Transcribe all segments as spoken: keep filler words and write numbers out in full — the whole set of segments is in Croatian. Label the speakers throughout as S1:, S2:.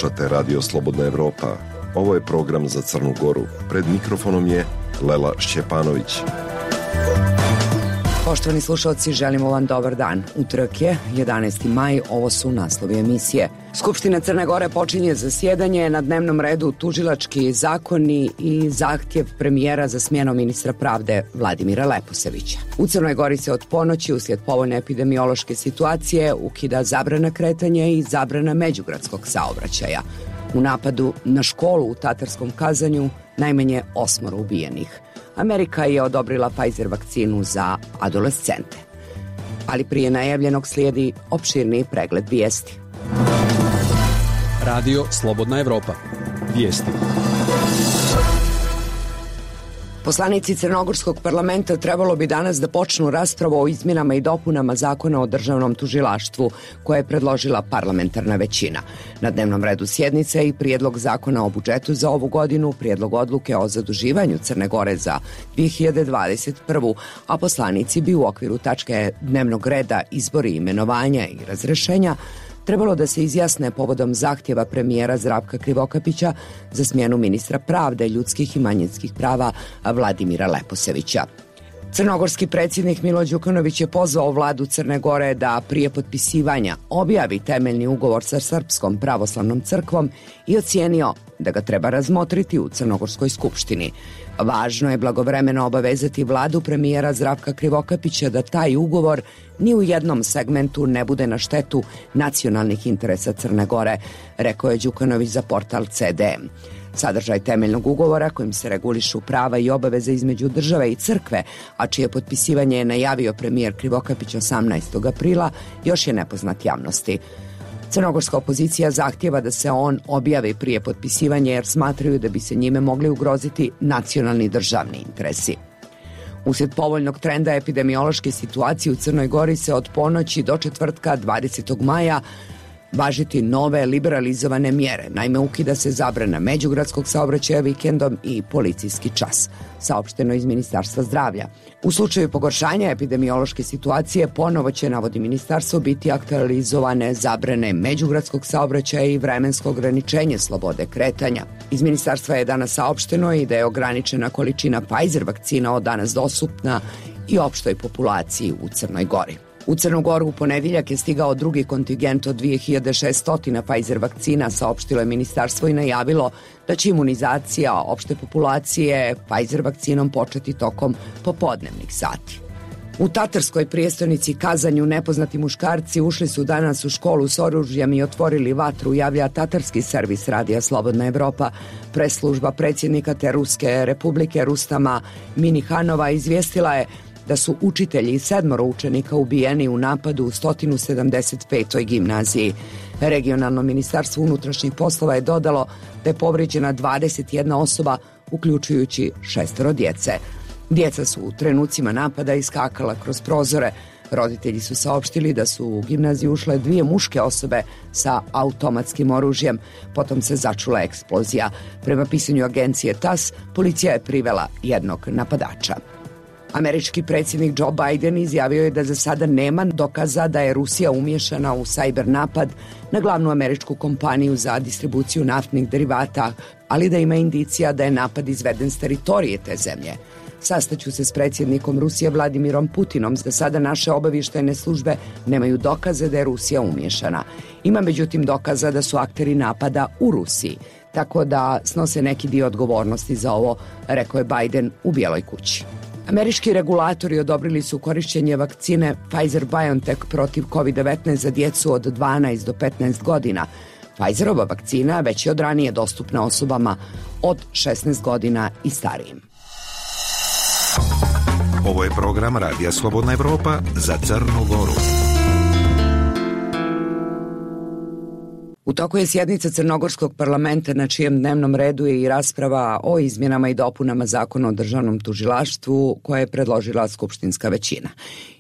S1: Slušate Radio Slobodna Evropa. Ovo je program za Crnu Goru. Pred mikrofonom je Lela Šćepanović.
S2: Poštovani slušalci, želimo vam dobar dan. Utorak je jedanaesti maj, ovo su naslovi emisije. Skupština Crne Gore počinje zasjedanje, na dnevnom redu tužilački zakoni i zahtjev premijera za smjenom ministra pravde Vladimira Leposevića. U Crnoj Gori se od ponoći uslijed povoljne epidemiološke situacije ukida zabrana kretanja i zabrana međugradskog saobraćaja. U napadu na školu u Tatarskom Kazanju najmanje osmoro ubijenih. Amerika je odobrila Pfizer vakcinu za adolescente. Ali prije najavljenog slijedi opširniji pregled vijesti.
S3: Radio Slobodna Evropa. Vijesti.
S2: Poslanici Crnogorskog parlamenta trebalo bi danas da počnu raspravu o izmjenama i dopunama zakona o državnom tužilaštvu koje je predložila parlamentarna većina. Na dnevnom redu sjednice i prijedlog zakona o budžetu za ovu godinu, prijedlog odluke o zaduživanju Crne Gore za dvije hiljade dvadeset prvu. a poslanici bi u okviru tačke dnevnog reda izbori, imenovanja i razrešenja trebalo da se izjasne povodom zahtjeva premijera Zdravka Krivokapića za smjenu ministra pravde, ljudskih i manjinskih prava Vladimira Leposevića. Crnogorski predsjednik Milo Đukanović je pozvao vladu Crne Gore da prije potpisivanja objavi temeljni ugovor sa Srpskom pravoslavnom crkvom i ocijenio da ga treba razmotriti u Crnogorskoj skupštini. Važno je blagovremeno obavezati vladu premijera Zdravka Krivokapića da taj ugovor ni u jednom segmentu ne bude na štetu nacionalnih interesa Crne Gore, rekao je Đukanović za portal C D M. Sadržaj temeljnog ugovora kojim se regulišu prava i obaveze između države i crkve, a čije potpisivanje je najavio premijer Krivokapić osamnaestog aprila, još je nepoznat javnosti. Crnogorska opozicija zahtjeva da se on objavi prije potpisivanja jer smatraju da bi se njime mogli ugroziti nacionalni državni interesi. Uslijed povoljnog trenda epidemiološke situacije u Crnoj Gori se od ponoći do četvrtka dvadesetog maja važiti nove liberalizovane mjere. Naime, ukida se zabrana međugradskog saobraćaja vikendom i policijski čas, saopšteno iz Ministarstva zdravlja. U slučaju pogoršanja epidemiološke situacije ponovo će, navodi ministarstvo, biti aktualizovane zabrane međugradskog saobraćaja i vremensko ograničenje slobode kretanja. Iz ministarstva je danas saopšteno i da je ograničena količina Pfizer vakcina od danas dostupna i opštoj populaciji u Crnoj Gori. U Crnu Goru u ponedjeljak je stigao drugi kontingent od dvije hiljade šesto Pfizer vakcina, saopštilo je ministarstvo i najavilo da će imunizacija opšte populacije Pfizer vakcinom početi tokom popodnevnih sati. U tatarskoj prijestolnici Kazanju nepoznati muškarci ušli su danas u školu s oružjem i otvorili vatru, javlja tatarski servis Radija Slobodna Evropa. Presslužba predsjednika te Ruske republike Rustama Minihanova izvijestila je da su učitelji i sedmoro učenika ubijeni u napadu u sto sedamdeset petoj gimnaziji. Regionalno ministarstvo unutrašnjih poslova je dodalo da je povrijeđena dvadeset jedna osoba, uključujući šestoro djece. Djeca su u trenucima napada iskakala kroz prozore. Roditelji su saopštili da su u gimnaziju ušle dvije muške osobe sa automatskim oružjem. Potom se začula eksplozija. Prema pisanju agencije T A S, policija je privela jednog napadača. Američki predsjednik Joe Biden izjavio je da za sada nema dokaza da je Rusija umiješana u sajber napad na glavnu američku kompaniju za distribuciju naftnih derivata, ali da ima indicija da je napad izveden s teritorije te zemlje. Sastaću se s predsjednikom Rusije Vladimirom Putinom, za sada naše obavještajne službe nemaju dokaze da je Rusija umiješana. Ima međutim dokaza da su akteri napada u Rusiji, tako da snose neki dio odgovornosti za ovo, rekao je Biden u Bijeloj kući. Američki regulatori odobrili su korištenje vakcine Pfizer-BioNTech protiv kovid devetnaest za djecu od dvanaest do petnaest godina. Pfizerova vakcina već je od ranije dostupna osobama od šesnaest godina i starijim.
S4: Ovo je program Radija Slobodna Evropa za Crnu Goru.
S2: U toku je sjednica Crnogorskog parlamenta na čijem dnevnom redu je i rasprava o izmjenama i dopunama zakona o državnom tužilaštvu koje je predložila skupštinska većina.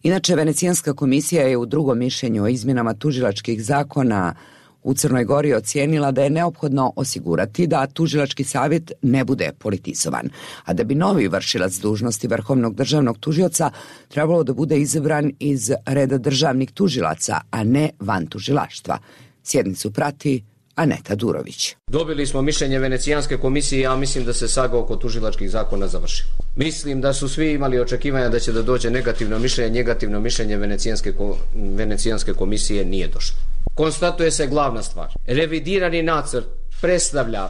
S2: Inače, Venecijanska komisija je u drugom mišljenju o izmjenama tužilačkih zakona u Crnoj Gori ocijenila da je neophodno osigurati da tužilački savjet ne bude politizovan, a da bi novi vršilac dužnosti vrhovnog državnog tužioca trebalo da bude izabran iz reda državnih tužilaca, a ne van tužilaštva. Sjednicu prati Aneta Durović.
S5: Dobili smo mišljenje Venecijanske komisije i ja mislim da se saga oko tužilačkih zakona završila. Mislim da su svi imali očekivanja da će da dođe negativno mišljenje, negativno mišljenje Venecijanske, Venecijanske komisije nije došlo. Konstatuje se glavna stvar. Revidirani nacrt predstavlja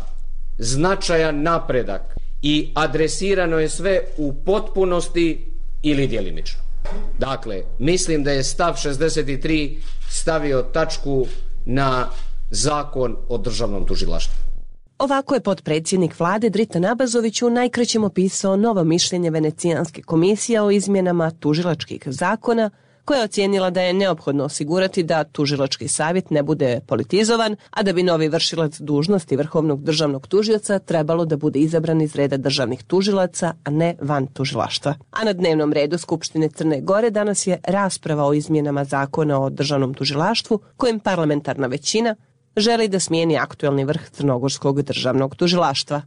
S5: značajan napredak i adresirano je sve u potpunosti ili djelimično. Dakle, mislim da je stav šezdeset tri stavio tačku na Zakon o državnom tužilaštvu.
S6: Ovako je potpredsjednik vlade Dritan Abazović u najkraćem opisao novo mišljenje Venecijanske komisije o izmjenama tužilačkih zakona, koja je ocijenila da je neophodno osigurati da tužilački savjet ne bude politizovan, a da bi novi vršilac dužnosti vrhovnog državnog tužioca trebalo da bude izabran iz reda državnih tužilaca, a ne van tužilaštva. A na dnevnom redu Skupštine Crne Gore danas je rasprava o izmjenama zakona o državnom tužilaštvu, kojim parlamentarna većina želi da smijeni aktuelni vrh Crnogorskog državnog tužilaštva.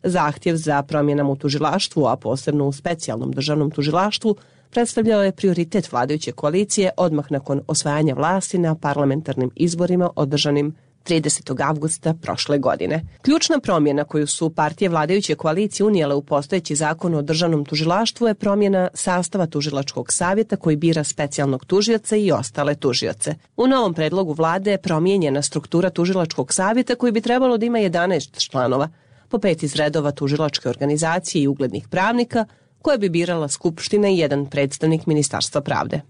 S6: Zahtjev za promjenama u tužilaštvu, a posebno u specijalnom državnom tužilaštvu, predstavljao je prioritet vladajuće koalicije odmah nakon osvajanja vlasti na parlamentarnim izborima održanim tridesetog avgusta prošle godine. Ključna promjena koju su partije vladajuće koalicije unijele u postojeći zakon o državnom tužilaštvu je promjena sastava tužilačkog savjeta koji bira specijalnog tužioca i ostale tužioce. U novom predlogu vlade je promijenjena struktura tužilačkog savjeta koji bi trebalo da ima jedanaest članova, po pet iz redova tužilačke organizacije i uglednih pravnika, koje bi birala Skupština i jedan predstavnik Ministarstva pravde.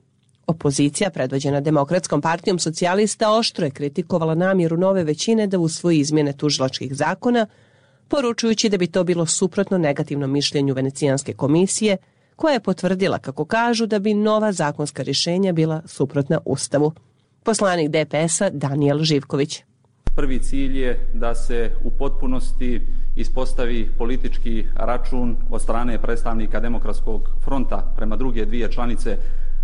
S6: Opozicija, predvođena Demokratskom partijom socijalista, oštro je kritikovala namjeru nove većine da usvoji izmjene tužilačkih zakona, poručujući da bi to bilo suprotno negativnom mišljenju Venecijanske komisije, koja je potvrdila, kako kažu, da bi nova zakonska rješenja bila suprotna Ustavu. Poslanik D P S-a Danijel Živković.
S7: Prvi cilj je da se u potpunosti ispostavi politički račun od strane predstavnika Demokratskog fronta prema druge dvije članice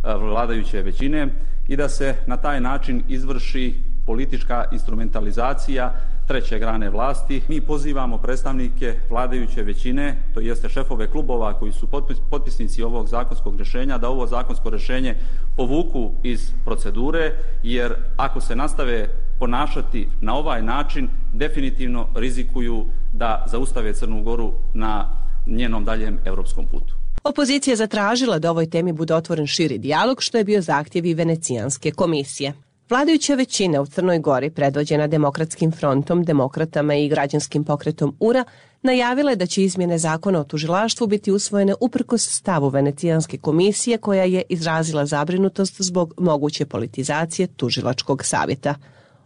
S7: vladajuće većine i da se na taj način izvrši politička instrumentalizacija treće grane vlasti. Mi pozivamo predstavnike vladajuće većine, to jeste šefove klubova koji su potpisnici ovog zakonskog rješenja, da ovo zakonsko rješenje povuku iz procedure, jer ako se nastave ponašati na ovaj način, definitivno rizikuju da zaustave Crnu Goru na njenom daljem europskom putu.
S6: Opozicija je zatražila da ovoj temi bude otvoren širi dijalog, što je bio zahtjev i Venecijanske komisije. Vladajuća većina u Crnoj Gori, predvođena Demokratskim frontom, demokratama i građanskim pokretom U R A, najavila je da će izmjene zakona o tužilaštvu biti usvojene uprkos stavu Venecijanske komisije, koja je izrazila zabrinutost zbog moguće politizacije tužilačkog savjeta.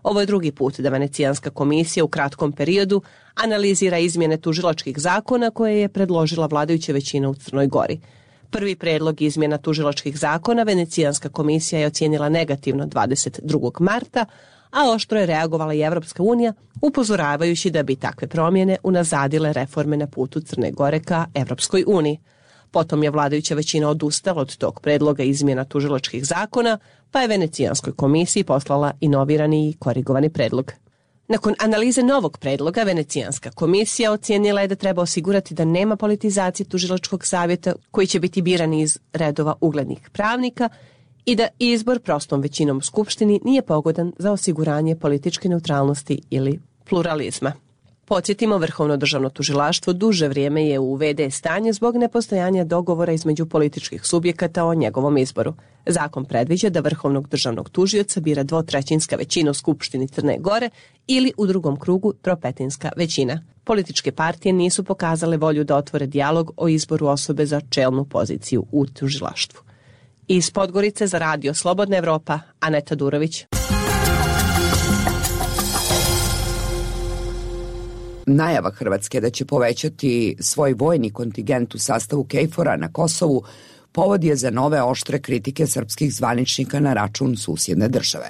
S6: Ovo je drugi put da Venecijanska komisija u kratkom periodu analizira izmjene tužilačkih zakona koje je predložila vladajuća većina u Crnoj Gori. Prvi predlog izmjena tužilačkih zakona Venecijanska komisija je ocijenila negativno dvadeset drugog marta, a oštro je reagovala i Evropska unija, upozoravajući da bi takve promjene unazadile reforme na putu Crne Gore ka Evropskoj uniji. Potom je vladajuća većina odustala od tog predloga izmjena tužilačkih zakona, pa je Venecijanskoj komisiji poslala inovirani i korigovani predlog. Nakon analize novog predloga, Venecijanska komisija ocijenila je da treba osigurati da nema politizacije tužilačkog savjeta koji će biti biran iz redova uglednih pravnika i da izbor prostom većinom u Skupštini nije pogodan za osiguranje političke neutralnosti ili pluralizma. Podsjetimo, Vrhovno državno tužilaštvo duže vrijeme je u ve de stanju zbog nepostojanja dogovora između političkih subjekata o njegovom izboru. Zakon predviđa da vrhovnog državnog tužioca bira dvotrećinska većina u Skupštini Crne Gore ili u drugom krugu tropetinska većina. Političke partije nisu pokazale volju da otvore dijalog o izboru osobe za čelnu poziciju u tužilaštvu. Iz Podgorice za radio Slobodna Evropa, Aneta Durović.
S2: Najava Hrvatske da će povećati svoj vojni kontingent u sastavu KFOR-a na Kosovu povod je za nove oštre kritike srpskih zvaničnika na račun susjedne države.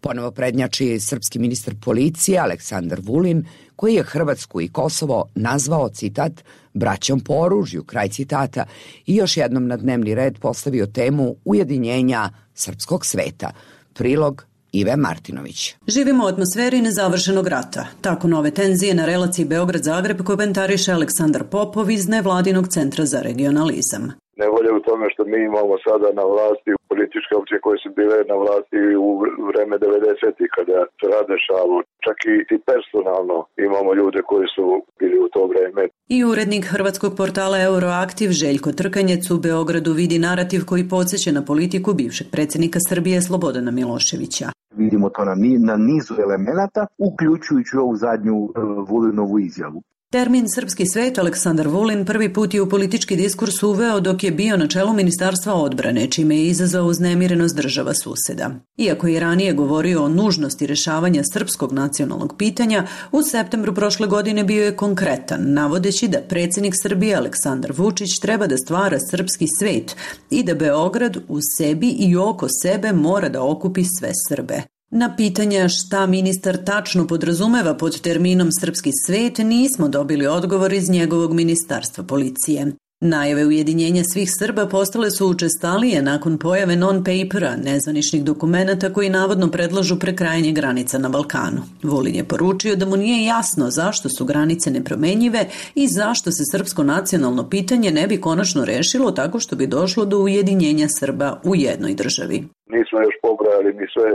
S2: Ponovo prednjači srpski ministar policije Aleksandar Vulin, koji je Hrvatsku i Kosovo nazvao, citat, braćom po oružju, kraj citata, i još jednom na dnevni red postavio temu ujedinjenja srpskog sveta. Prilog Ive Martinović.
S8: Živimo u atmosferi nezavršenog rata. Tako nove tenzije na relaciji Beograd-Zagreb komentariše Aleksandar Popov iz nevladinog centra za regionalizam.
S9: Nevolja u tome što mi imamo sada na vlasti političke opcije koje su bile na vlasti u vreme devedesetih kada se radešalo. Čak i personalno imamo ljude koji su bili u to vreme.
S8: I urednik hrvatskog portala Euroaktiv Željko Trkanjec u Beogradu vidi narativ koji podsjeća na politiku bivšeg predsjednika Srbije Slobodana Miloševića.
S10: Vidimo to na, na nizu elemenata, uključujući ovu zadnju uh, Vulinovu izjavu.
S8: Termin srpski svet Aleksandar Vulin prvi put je u politički diskurs uveo dok je bio na čelu Ministarstva odbrane, čime je izazvao uznemirenost država suseda. Iako je ranije govorio o nužnosti rješavanja srpskog nacionalnog pitanja, u septembru prošle godine bio je konkretan, navodeći da predsjednik Srbije Aleksandar Vučić treba da stvara srpski svet i da Beograd u sebi i oko sebe mora da okupi sve Srbe. Na pitanja šta ministar tačno podrazumeva pod terminom srpski svet nismo dobili odgovor iz njegovog ministarstva policije. Najave ujedinjenja svih Srba postale su učestalije nakon pojave non-papera, nezvaničnih dokumenata koji navodno predlažu prekrajanje granica na Balkanu. Vulin je poručio da mu nije jasno zašto su granice nepromenjive i zašto se srpsko nacionalno pitanje ne bi konačno rešilo tako što bi došlo do ujedinjenja Srba u jednoj državi.
S9: Nismo još pobrojali ni sve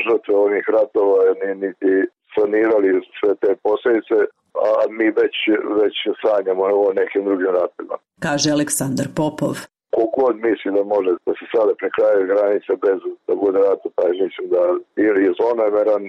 S9: žrtve ovih ratova, niti sanirali sve te posljedice, a mi već, već sanjamo o nekim drugim ratima.
S8: Kaže Aleksandar Popov.
S9: Kogod misli da može da se sada prekraje granice bez da bude rata, taj mislim da ili je zlonameran,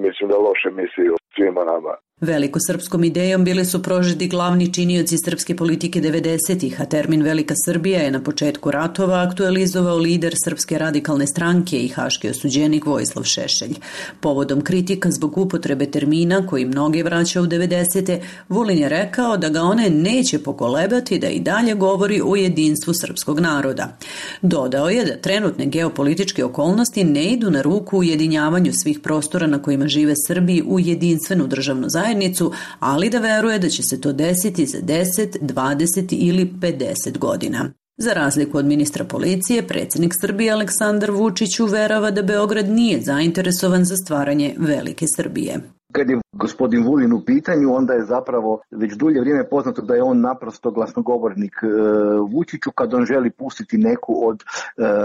S9: mislim da loše misli o svima nama.
S8: Velikosrpskom idejom bili su prožeti glavni činioci srpske politike devedesetih, a termin Velika Srbija je na početku ratova aktualizovao lider Srpske radikalne stranke i haški osuđenik Vojislav Šešelj. Povodom kritika zbog upotrebe termina koji mnoge vraća u devedesete, Vulin je rekao da ga one neće pokolebati da i dalje govori o jedinstvu srpskog naroda. Dodao je da trenutne geopolitičke okolnosti ne idu na ruku ujedinjavanju svih prostora na kojima žive Srbi u jedinstvenu državnu zajednicu, ali da veruje da će se to desiti za deset, dvadeset ili pedeset godina. Za razliku od ministra policije, predsjednik Srbije Aleksandar Vučić uverava da Beograd nije zainteresovan za stvaranje Velike Srbije.
S10: Kad je gospodin Vulin u pitanju, onda je zapravo već dulje vrijeme poznato da je on naprosto glasnogovornik e, Vučiću kad on želi pustiti neku od e,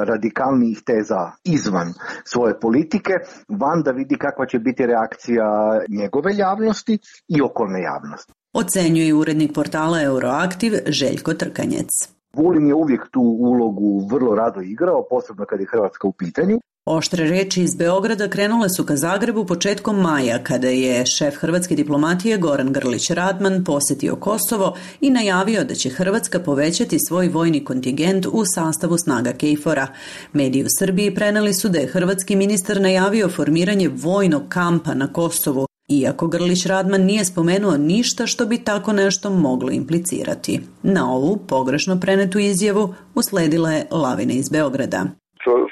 S10: radikalnijih teza izvan svoje politike, van da vidi kakva će biti reakcija njegove javnosti i okolne javnosti.
S8: Ocenjuje urednik portala Euroaktiv Željko Trkanjec.
S10: Vulin je uvijek tu ulogu vrlo rado igrao, posebno kad je Hrvatska u pitanju.
S8: Oštre reči iz Beograda krenule su ka Zagrebu početkom maja, kada je šef hrvatske diplomatije Goran Grlić Radman posjetio Kosovo i najavio da će Hrvatska povećati svoj vojni kontingent u sastavu snaga KFOR-a. Mediji u Srbiji preneli su da je hrvatski ministar najavio formiranje vojnog kampa na Kosovu, iako Grlić Radman nije spomenuo ništa što bi tako nešto moglo implicirati. Na ovu pogrešno prenetu izjavu usledila je lavina iz Beograda.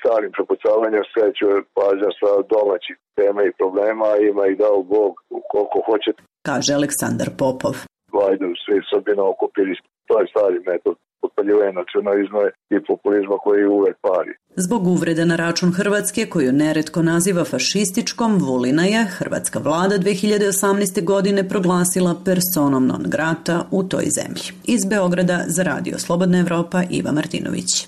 S9: Starim prepucavanjem skreću pažnja sa domaćih tema i problema, ima i dao Bog koliko hoćete.
S8: Kaže Aleksandar Popov.
S9: Vajdu svi Srbina okupili, to je stari metod potpaljivanja nacionalizma i populizma koji uvek pari.
S8: Zbog uvrede na račun Hrvatske, koju neretko naziva fašističkom, Vulina je hrvatska vlada dve hiljade osamnaeste. godine proglasila personom non grata u toj zemlji. Iz Beograda za Radio Slobodna Evropa Iva Martinović.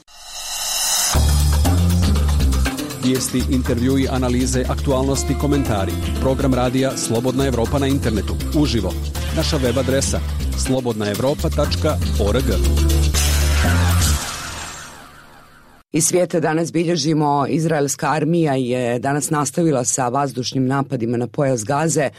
S3: Vijesti, intervjui, analize, aktualnosti, komentari. Program radija Slobodna Evropa na internetu. Uživo. Naša web adresa slobodna evropa tačka org.
S2: Iz svijeta danas bilježimo, izraelska armija je danas nastavila sa vazdušnim napadima na pojas Gaze,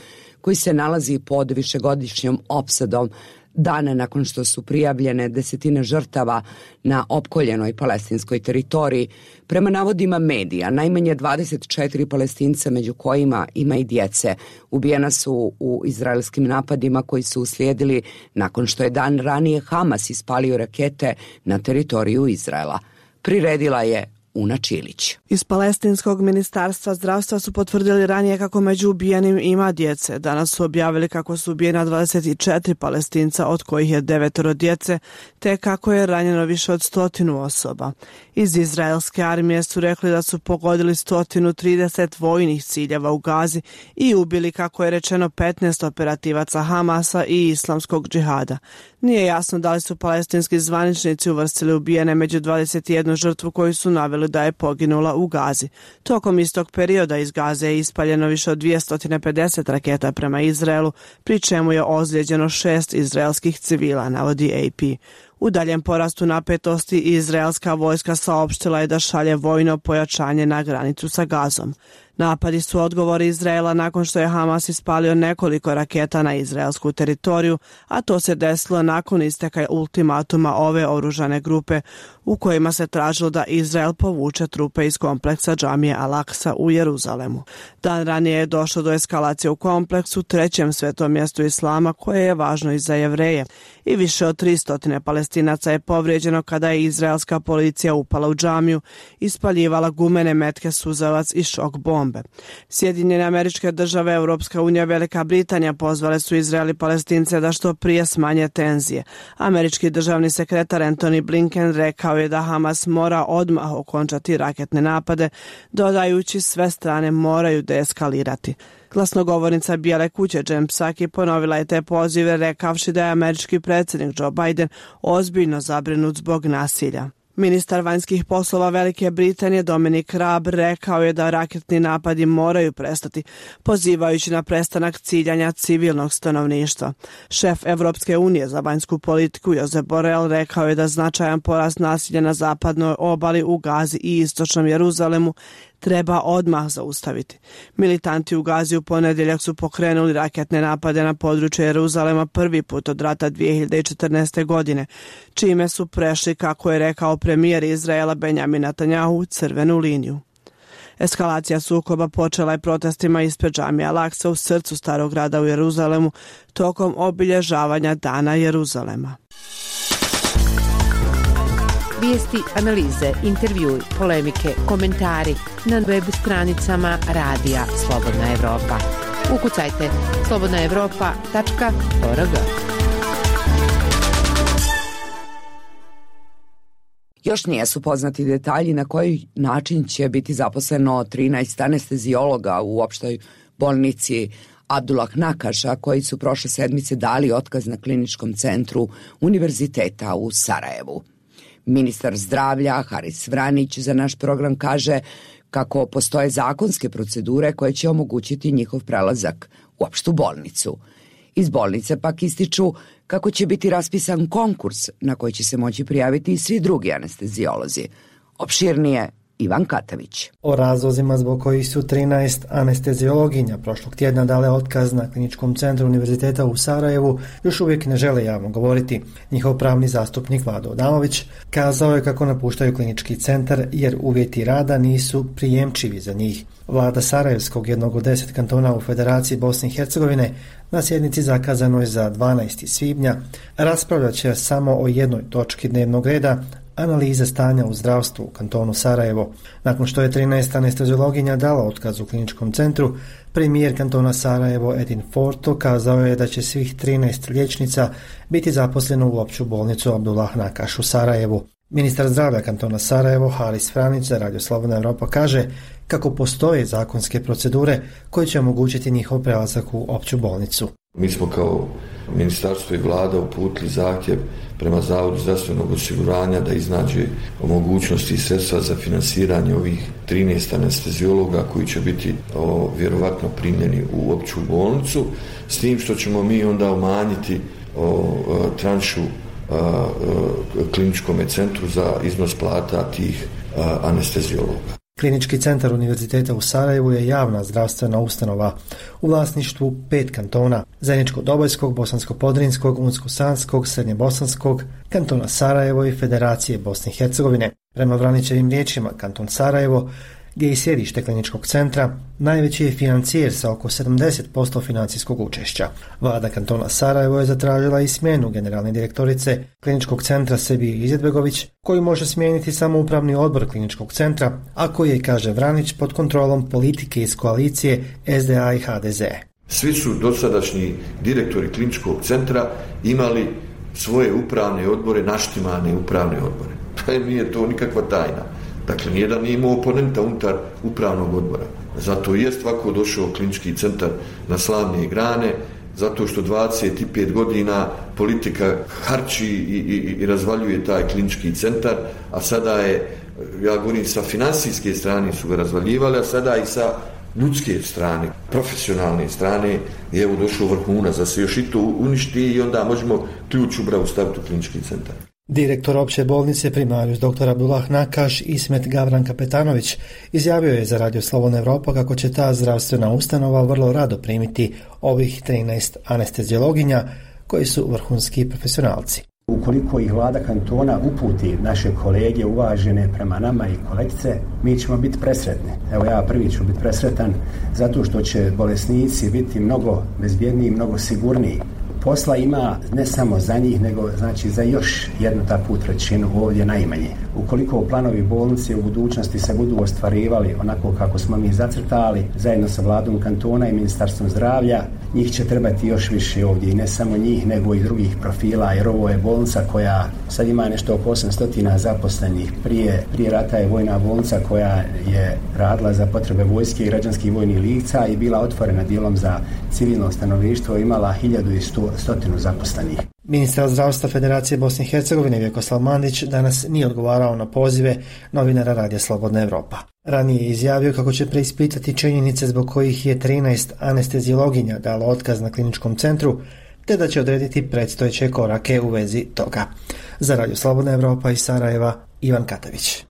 S2: koji se nalazi pod višegodišnjom opsadom dana nakon što su prijavljene desetine žrtava na opkoljenoj palestinskoj teritoriji. Prema navodima medija, najmanje dvadeset četiri Palestinca, među kojima ima i djece, ubijena su u izraelskim napadima koji su uslijedili nakon što je dan ranije Hamas ispalio rakete na teritoriju Izraela. Priredila je Una Čilić.
S11: Iz Palestinskog ministarstva zdravstva su potvrdili ranije kako među ubijenim ima djece. Danas su objavili kako su ubijena dvadeset četiri Palestinca, od kojih je devetoro djece, te kako je ranjeno više od stotinu osoba. Iz izraelske armije su rekli da su pogodili sto trideset vojnih ciljeva u Gazi i ubili, kako je rečeno, petnaest operativaca Hamasa i islamskog džihada. Nije jasno da li su palestinski zvaničnici uvrstili ubijene među dvadeset jednu žrtvu koju su naveli izjavili da je poginula u Gazi. Tokom istog perioda iz Gaze je ispaljeno više od dvjesto pedeset raketa prema Izraelu, pri čemu je ozlijeđeno šest izraelskih civila, navodi A P. U daljem porastu napetosti izraelska vojska saopštila je da šalje vojno pojačanje na granicu sa Gazom. Napadi su odgovor Izraela nakon što je Hamas ispalio nekoliko raketa na izraelsku teritoriju, a to se desilo nakon isteka ultimatuma ove oružane grupe u kojima se tražilo da Izrael povuče trupe iz kompleksa džamije Al-Aqsa u Jeruzalemu. Dan ranije je došlo do eskalacije u kompleksu, trećem svetom mjestu islama, koje je važno i za Jevreje, i više od tristo Palestinaca je povrijeđeno kada je izraelska policija upala u džamiju, ispaljivala gumene metke, suzavac i šok bombe. Sjedinjene Američke Države, Europska unija, Velika Britanija pozvale su Izrael i Palestince da što prije smanje tenzije. Američki državni sekretar Antony Blinken rekao je da Hamas mora odmah okončati raketne napade, dodajući sve strane moraju deeskalirati. Glasnogovornica Bijele kuće Jen Psaki ponovila je te pozive, rekavši da je američki predsjednik Joe Biden ozbiljno zabrinut zbog nasilja. Ministar vanjskih poslova Velike Britanije Dominic Raab rekao je da raketni napadi moraju prestati, pozivajući na prestanak ciljanja civilnog stanovništva. Šef Evropske unije za vanjsku politiku Josep Borrell rekao je da značajan porast nasilja na zapadnoj obali, u Gazi i istočnom Jeruzalemu treba odmah zaustaviti. Militanti u Gazi u ponedjeljak su pokrenuli raketne napade na područje Jeruzalema prvi put od rata dvije hiljade četrnaeste. godine, čime su prešli, kako je rekao premijer Izraela Benjamin Netanjahu, crvenu liniju. Eskalacija sukoba počela je protestima ispred džamije Al-Aqsa u srcu starog grada u Jeruzalemu tokom obilježavanja Dana Jeruzalema.
S12: Vijesti, analize, intervjui, polemike, komentari na web stranicama Radija Slobodna Evropa. Ukucajte slobodna evropa tačka org.
S2: Još nijesu poznati detalji na koji način će biti zaposleno trinaest anestezijologa u opštoj bolnici Abdullah Nakaša, koji su prošle sedmice dali otkaz na kliničkom centru Univerziteta u Sarajevu. Ministar zdravlja Haris Vranić za naš program kaže kako postoje zakonske procedure koje će omogućiti njihov prelazak u opštu bolnicu. Iz bolnice pak ističu kako će biti raspisan konkurs na koji će se moći prijaviti i svi drugi anestezijolozi. Opširnije Ivan Katavić.
S13: O razlozima zbog kojih su trinaest anestezijologinja prošlog tjedna dale otkaz na kliničkom centru Univerziteta u Sarajevu još uvijek ne žele javno govoriti. Njihov pravni zastupnik Vlado Adamović kazao je kako napuštaju klinički centar jer uvjeti rada nisu prijemčivi za njih. Vlada Sarajevskog, jednog od deset kantona u Federaciji Bosne i Hercegovine, na sjednici zakazanoj za dvanaesti svibnja raspravljat će samo o jednoj točki dnevnog reda, analize stanja u zdravstvu u kantonu Sarajevo. Nakon što je trinaest anesteziologinja dala otkaz u kliničkom centru, premijer kantona Sarajevo Edin Forto kazao je da će svih trinaest liječnica biti zaposleno u opću bolnicu Abdullah Nakaš u Sarajevu. Ministar zdravlja kantona Sarajevo Haris Vranić za Radio Slobodna Evropa kaže kako postoje zakonske procedure koje će omogućiti njihov prelazak u opću bolnicu.
S14: Mi smo kao ministarstvo i vlada uputili zahtjev prema Zavodu zdravstvenog osiguranja da iznađe mogućnosti i sredstva za finansiranje ovih trinaest anestezijologa koji će biti o, vjerovatno primljeni u opću bolnicu, s tim što ćemo mi onda umanjiti o, o, tranšu a, a, kliničkom centru za iznos plata tih a, anestezijologa.
S13: Klinički centar Univerziteta u Sarajevu je javna zdravstvena ustanova u vlasništvu pet kantona: Zeničko-Dobojskog, Bosansko-Podrinskog, Unsko-Sanskog, Srednjebosanskog, kantona Sarajevo i Federacije Bosne i Hercegovine. Prema Vranićevim riječima, kanton Sarajevo, gdje je i sjedište kliničkog centra, najveći je financijer sa oko sedamdeset posto financijskog učešća. Vlada kantona Sarajevo je zatražila i smjenu generalne direktorice kliničkog centra Sebije Izetbegović, koji može smijeniti samo upravni odbor kliničkog centra, a koji je, kaže Vranić, pod kontrolom politike iz koalicije S D A i H D Z.
S14: Svi su dosadašnji direktori kliničkog centra imali svoje upravne odbore, naštimane upravne odbore. Pa nije to nikakva tajna. Dakle, nijedan nije imao oponenta unutar upravnog odbora. Zato je svako došao klinički centar na slavne grane, zato što dvadeset pet godina politika harči i, i, i razvaljuje taj klinički centar, a sada je, ja govorim, sa financijske strane su ga razvaljivali, a sada i sa ljudske strane, profesionalne strane je evo došao vrhunac da se još i to uništi i onda možemo ključ u bravu staviti u klinički centar.
S13: Direktor opće bolnice primarius doktor Abdullah Nakaš Ismet Gavran Kapetanović izjavio je za Radio Slobodna Evropa kako će ta zdravstvena ustanova vrlo rado primiti ovih trinaest anesteziologinja koji su vrhunski profesionalci.
S15: Ukoliko ih vlada kantona uputi naše kolege uvažene prema nama i kolegice, mi ćemo biti presretni. Evo ja prvi ću biti presretan zato što će bolesnici biti mnogo bezbjedniji, mnogo sigurniji. Posla ima ne samo za njih, nego znači za još jednu takvu trećinu ovdje najmanje. Ukoliko planovi bolnice u budućnosti se budu ostvarivali onako kako smo mi zacrtali, zajedno sa vladom kantona i ministarstvom zdravlja, njih će trebati još više ovdje i ne samo njih, nego i drugih profila, jer ovo je bolnica koja sad ima nešto oko osamsto zaposlenih. Prije, prije rata je vojna bolnica koja je radila za potrebe vojske i građanskih vojnih lica i bila otvorena dijelom za civilno stanovništvo, imala hiljadu i sto zaposlenih.
S13: Ministar zdravstva Federacije Bosne i Hercegovine Vjekoslav Mandić danas nije odgovarao na pozive novinara Radija Slobodna Evropa. Ranije je izjavio kako će preispitati činjenice zbog kojih je trinaest anesteziologinja dalo otkaz na kliničkom centru, te da će odrediti predstojeće korake u vezi toga. Za Radio Slobodna Evropa iz Sarajeva, Ivan Katavić.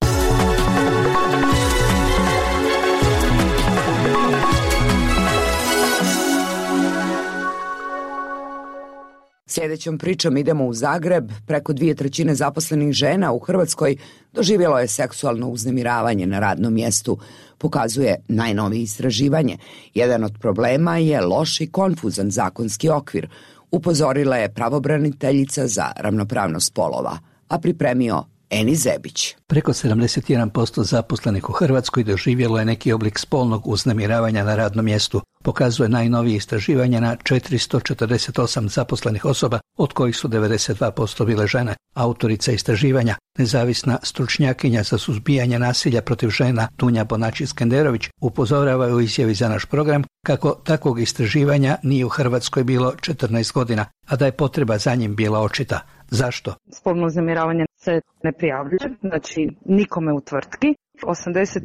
S2: Sljedećom pričom idemo u Zagreb. Preko dvije trećine zaposlenih žena u Hrvatskoj doživjelo je seksualno uznemiravanje na radnom mjestu, pokazuje najnovije istraživanje. Jedan od problema je loš i konfuzan zakonski okvir, upozorila je pravobraniteljica za ravnopravnost spolova, a pripremio Eni Zebić.
S16: Preko sedamdeset jedan posto zaposlenih u Hrvatskoj doživjelo je neki oblik spolnog uznemiravanja na radnom mjestu, pokazuje najnovije istraživanje na četiristo četrdeset osam zaposlenih osoba, od kojih su devedeset dva posto bile žene. Autorica istraživanja, nezavisna stručnjakinja za suzbijanje nasilja protiv žena Dunja Bonači-Skenderović, upozorava u izjavi za naš program kako takvog istraživanja nije u Hrvatskoj bilo četrnaest godina, a da je potreba za njim bila očita. Zašto?
S17: Spolno uznemiravanje se ne prijavljuje, znači nikome u tvrtki. osamdeset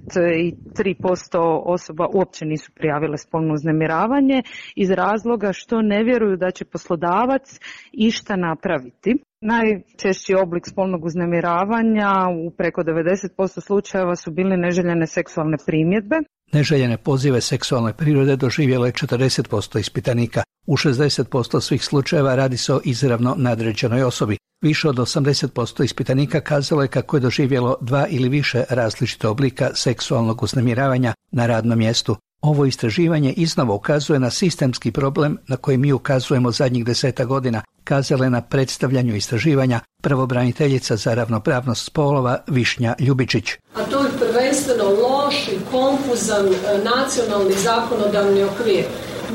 S17: tri posto osoba uopće nisu prijavile spolno uznemiravanje iz razloga što ne vjeruju da će poslodavac išta napraviti. Najčešći oblik spolnog uznemiravanja u preko devedeset posto slučajeva su bile neželjene seksualne primjedbe.
S16: Neželjene pozive seksualne prirode doživjelo je četrdeset posto ispitanika. U šezdeset posto svih slučajeva radi se o izravno nadređenoj osobi. Više od osamdeset posto ispitanika kazalo je kako je doživjelo dva ili više različite oblika seksualnog uznemiravanja na radnom mjestu. Ovo istraživanje iznova ukazuje na sistemski problem na koji mi ukazujemo zadnjih deseta godina, kazala je na predstavljanju istraživanja pravobraniteljica za ravnopravnost spolova Višnja Ljubičić.
S18: A to je prvenstveno loš i konfuzan nacionalni zakonodavni okvir.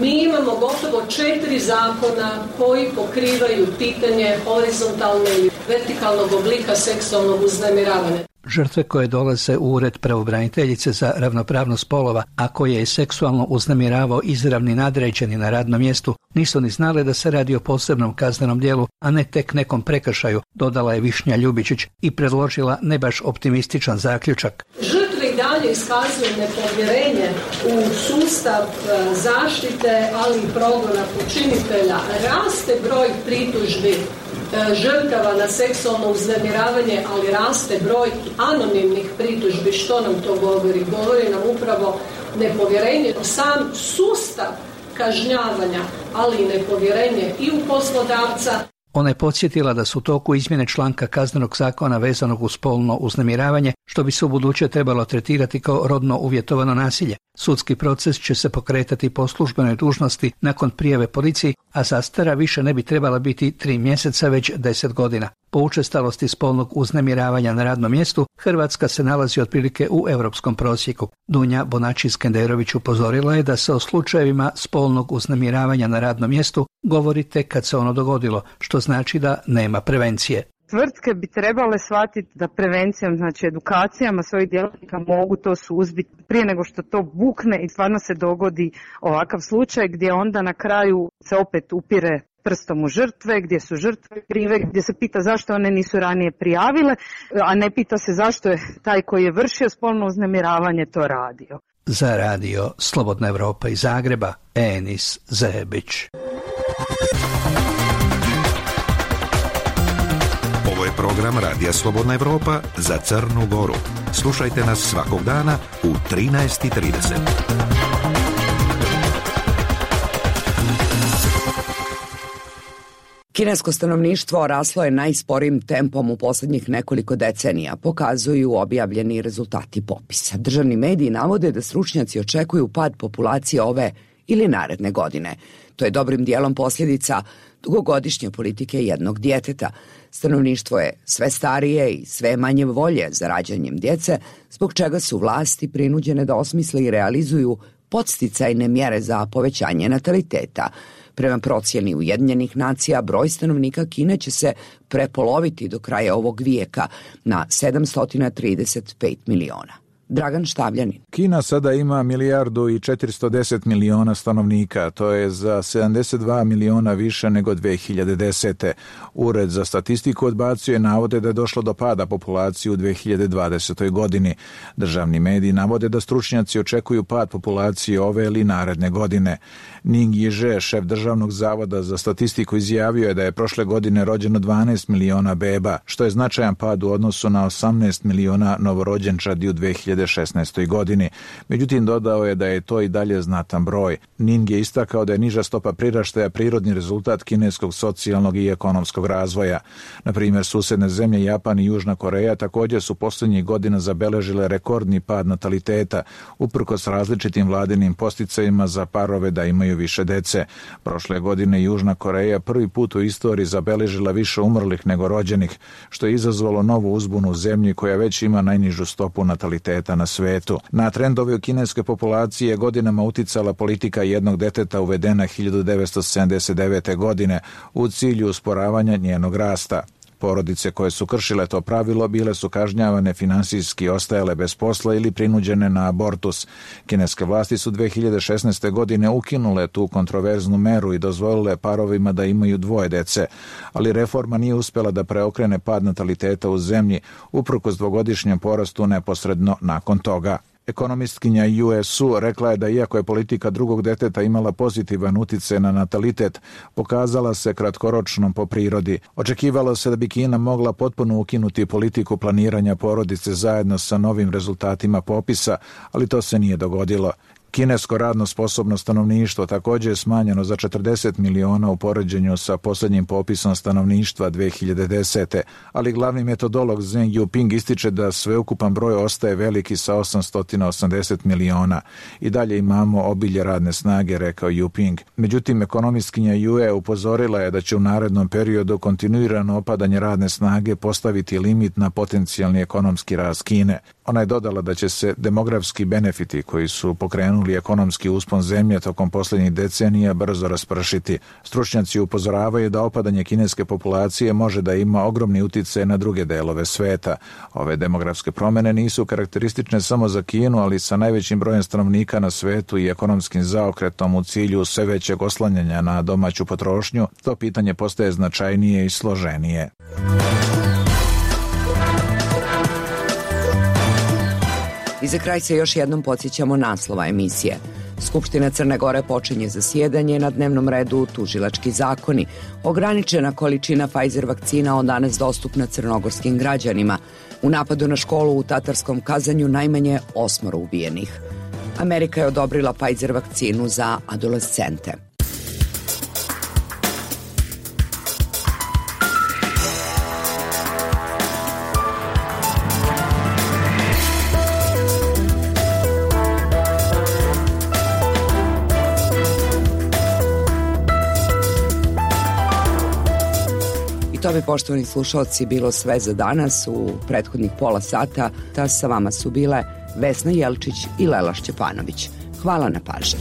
S18: Mi imamo gotovo četiri zakona koji pokrivaju pitanje horizontalne ili vertikalnog oblika seksualnog uznemiravanja.
S16: Žrtve koje dolaze u ured pravobraniteljice za ravnopravnost spolova, a koje je seksualno uznemiravao izravni nadređeni na radnom mjestu, nisu ni znale da se radi o posebnom kaznenom djelu, a ne tek nekom prekršaju, dodala je Višnja Ljubičić i predložila ne baš optimističan zaključak.
S18: Žrtve i dalje iskazuju nepovjerenje u sustav zaštite, ali i progona počinitelja. Raste broj pritužbi žrtava na seksualno uznemiravanje, ali raste broj anonimnih pritužbi. Što nam to govori? Govori nam upravo nepovjerenje u sam sustav kažnjavanja, ali i nepovjerenje i u poslodavca.
S16: Ona je podsjetila da su u toku izmjene članka kaznenog zakona vezanog uz spolno uznemiravanje, što bi se u buduće trebalo tretirati kao rodno uvjetovano nasilje. Sudski proces će se pokretati po službenoj dužnosti nakon prijave policiji, a zastara više ne bi trebala biti tri mjeseca, već deset godina. Po učestalosti spolnog uznemiravanja na radnom mjestu, Hrvatska se nalazi otprilike u europskom prosjeku. Dunja Bonači-Skenderović upozorila je da se o slučajevima spolnog uznemiravanja na radnom mjestu govori tek kad se ono dogodilo, što znači da nema prevencije.
S17: Tvrtke bi trebale shvatiti da prevencijom, znači edukacijama svojih djelatnika mogu to suzbiti prije nego što to bukne i stvarno se dogodi ovakav slučaj gdje onda na kraju se opet upire prstom u žrtve, gdje su žrtve krive, gdje se pita zašto one nisu ranije prijavile, a ne pita se zašto je taj koji je vršio spolno uznemiravanje to radio.
S16: Za radio Slobodna Evropa iz Zagreba, Enis Zebić.
S4: Ovo je program Radija Slobodna Evropa za Crnu Goru. Slušajte nas svakog dana u trinaest i trideset.
S2: Kinesko stanovništvo raslo je najsporijim tempom u posljednjih nekoliko decenija, pokazuju objavljeni rezultati popisa. Državni mediji navode da stručnjaci očekuju pad populacije ove ili naredne godine. To je dobrim dijelom posljedica dugogodišnje politike jednog djeteta. Stanovništvo je sve starije i sve manje volje za rađanjem djece, zbog čega su vlasti prinuđene da osmisle i realizuju podsticajne mjere za povećanje nataliteta. Prema procjeni Ujedinjenih nacija, broj stanovnika Kine će se prepoloviti do kraja ovog vijeka na sedamsto trideset pet miliona. Dragan Štavljanin.
S19: Kina sada ima milijardu i četiristo deset miliona stanovnika, to je za sedamdeset dva miliona više nego dve hiljade desete. Ured za statistiku odbacio je navode da je došlo do pada populacije u dve hiljade dvadesetoj godini. Državni mediji navode da stručnjaci očekuju pad populacije ove ili naredne godine. Ning Jiže, šef Državnog zavoda za statistiku, izjavio je da je prošle godine rođeno dvanaest miliona beba, što je značajan pad u odnosu na osamnaest miliona novorođenčadi u dve hiljade šesnaestoj godini. Međutim, dodao je da je to i dalje znatan broj. Ning je istakao da je niža stopa priraštaja prirodni rezultat kineskog socijalnog i ekonomskog razvoja. Na primjer, susedne zemlje Japan i Južna Koreja također su posljednjih godina zabeležile rekordni pad nataliteta, uprkos različitim vladinim posticajima za parove da imaju više dece. Prošle godine Južna Koreja prvi put u istoriji zabeležila više umrlih nego rođenih, što je izazvalo novu uzbunu u zemlji koja već ima najnižu stopu nataliteta na svetu. Na trendove u kineske populacije godinama uticala politika jednog deteta uvedena hiljadu devetsto sedamdeset devete. godine u cilju usporavanja njenog rasta. Porodice koje su kršile to pravilo bile su kažnjavane finansijski, ostajale bez posla ili prinuđene na abortus. Kineske vlasti su dve hiljade šesnaeste. godine ukinule tu kontroverznu meru i dozvolile parovima da imaju dvoje dece, ali reforma nije uspjela da preokrene pad nataliteta u zemlji, uprkos dvogodišnjem porastu neposredno nakon toga. Ekonomistkinja U S U rekla je da iako je politika drugog deteta imala pozitivan utjecaj na natalitet, pokazala se kratkoročnom po prirodi. Očekivalo se da bi Kina mogla potpuno ukinuti politiku planiranja porodice zajedno sa novim rezultatima popisa, ali to se nije dogodilo. Kinesko radno sposobno stanovništvo također je smanjeno za četrdeset miliona u poređenju sa posljednjim popisom stanovništva dve hiljade desete. ali glavni metodolog Zeng Yuping ističe da sveukupan broj ostaje veliki sa osamsto osamdeset miliona. I dalje imamo obilje radne snage, rekao Yuping. Međutim, ekonomistkinja Yue upozorila je da će u narednom periodu kontinuirano opadanje radne snage postaviti limit na potencijalni ekonomski rast Kine. Ona je dodala da će se demografski benefiti koji su pokrenuli ekonomski uspon zemlje tokom posljednjih decenija brzo raspršiti. Stručnjaci upozoravaju da opadanje kineske populacije može da ima ogromni utjecaj na druge delove sveta. Ove demografske promjene nisu karakteristične samo za Kinu, ali sa najvećim brojem stanovnika na svetu i ekonomskim zaokretom u cilju sve većeg oslanjanja na domaću potrošnju, to pitanje postaje značajnije i složenije.
S2: I za kraj se još jednom podsjećamo naslova emisije. Skupština Crne Gore počinje zasjedanje, na dnevnom redu tužilački zakoni. Ograničena količina Pfizer vakcina od danas dostupna crnogorskim građanima. U napadu na školu u Tatarskom Kazanju najmanje osmoro ubijenih. Amerika je odobrila Pfizer vakcinu za adolescente. To bi, poštovani slušalci, bilo sve za danas u prethodnih pola sata. Ta sa vama su bile Vesna Jelčić i Lela Šćepanović. Hvala na pažnji.